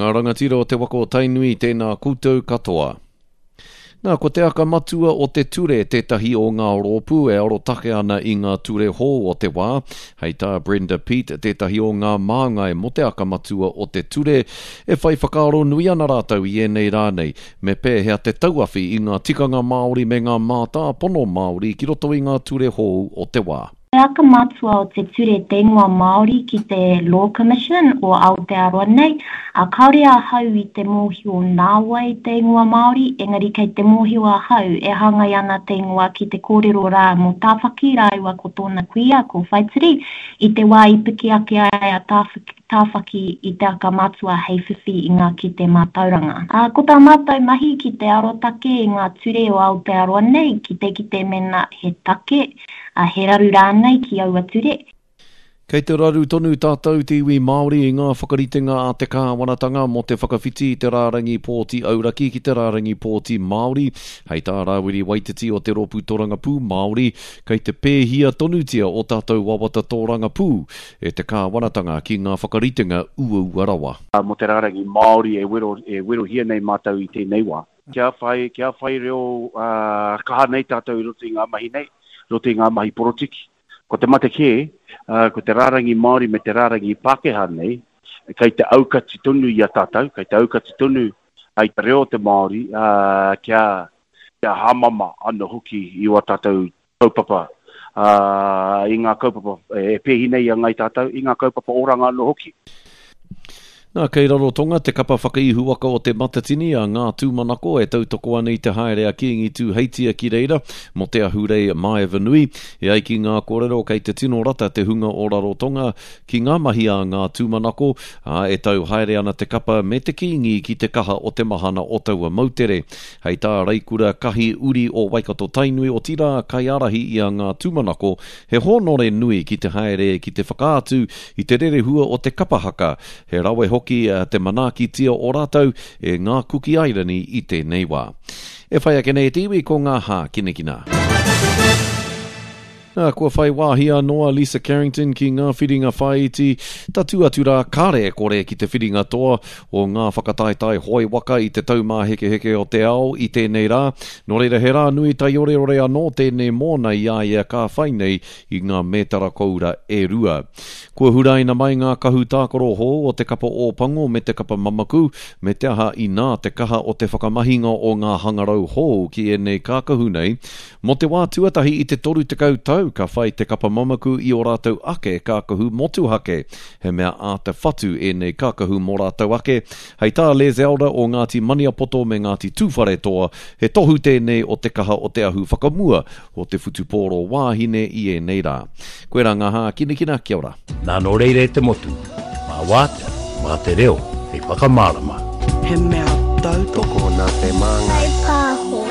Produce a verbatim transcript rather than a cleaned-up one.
Ngā rangatira o te waka o Tainui, tēnā koutou katoa. Nā, ko te aka matua o te ture tētahi o ngā rōpū e arotake ana i ngā ture hou o te wā. Hei tā Brenda Peat, tētahi o ngā māngai mō te aka matua o te ture, e whai whakaaro nui ana rātou i ēnei rā nei, me pēhea te tauawhi i ngā tikanga Māori me ngā mātāpono Māori ki roto i ngā ture hou o te wā. Te aka matua o te ture te ingoa Māori ki te Law Commission o Aotearoa nei, ā, kāore ahau i te mōhio nā wai te ingoa Māori, engari kei te mōhio ahau e hāngai ana te ingoa ki te kōrero rā mō Tāwhaki rāua ko tōna kuia, ko Whaitiri, i te wā i piki ake ai a Tāwhaki i te aka matua hei whiwhi i ngā kite mātauranga. Ā, ko tā mātou mahi ki te arotake i ngā ture o Aotearoa nei, ki te kite mēnā he take, ā, he raru rānei ki aua ture. Kei te raru tonu tātou te iwi Māori i ngā whakaritenga a te kāwanatanga mō te whakawhiti i te rārangi pōti auraki ki te rārangi pōti Māori. Hei tā Rāwiri Waititi o te Rōpū Torangapū Māori, kei te pēhia tonutia o tātou wawata tōrangapū e te kāwanatanga ki ngā whakaritenga uaua rawa. Mō te rārangi Māori e wero, e werohia nei mātou i tēnei wā. Kia whai, kia whai reo uh, kaha nei tātou i roto i ngā mahi nei, roto i ngā mahi porotiki. Ko te mate kē, uh, ko te rārangi Māori me te rārangi Pākehā nei, kei te aukati tonu i a tātou, kei te aukati tonu ai te reo o te Māori, uh, kia, kia hāmama anō hoki i wā tātou kaupapa, uh, i ngā kaupapa e pēhi nei a ngai tātou, i ngā kaupapa oranga anō hoki. Nā, kei Rarotonga te kapa whakaihuwaka o te Matatini a Ngā Tūmanako e tautoko ana i te haere a Kīngi Tūheitia ki reira mō te ahurei Maevanui. E ai ki ngā kōrero kei te tino rata te hunga o Rarotonga ki ngā mahi a Ngā Tūmanako, ā, e tau haere ana te kapa me te Kīngi ki te kaha o te mahana o taua moutere. Hei tā Reikura Kahi uri o Waikato Tainui, otirā kaiārahi i a Ngā Tūmanako, he hōnore nui ki te haere ki te whakaatu i te rerehua o te kapa haka. He rawe hoki te manaakitia o rātou e ngā Kuki Airani i tēnei wā. E whai ake nei te iwi ko ngā hākinakina. Nā, kua whai wāhi anō a Lisa Carrington ki ngā whiringa whāiti, tatū atu rā kare e kore ki te whiringa toa o ngā whakataetae hoe waka i te taumāhekeheke o te ao i tēnei rā. Nō reira he rā nui taioreore anō tēnei mōna i a ia ka whai nei i ngā mētara koura e rua. Kua huraina mai ngā kahu tākaro hou o te kapa Ōpango me te kapa Mamaku, me te aha inā te kaha o te whakamahinga o ngā hangarau hou ki ēnei kākahu nei. Mō te wā tuatahi i te toru tekau tau ka whai te kapa Mamaku i o rātou ake kākahu motuhake. He mea āta whatu ēnei kākahu mō rātou ake. Hei tā Les Elder o Ngāti Maniapoto me Ngāti Tūwharetoa, he tohu tēnei o te kaha o te ahu whakamua o te whutupōro wāhine i ēnei rā. Koe rā ngā hākinakina, kia ora. Nā nō reira e te motu, mā wātea, mā te reo, hei whakamārama. He mea tautoko nā te māngai. Whai pāho.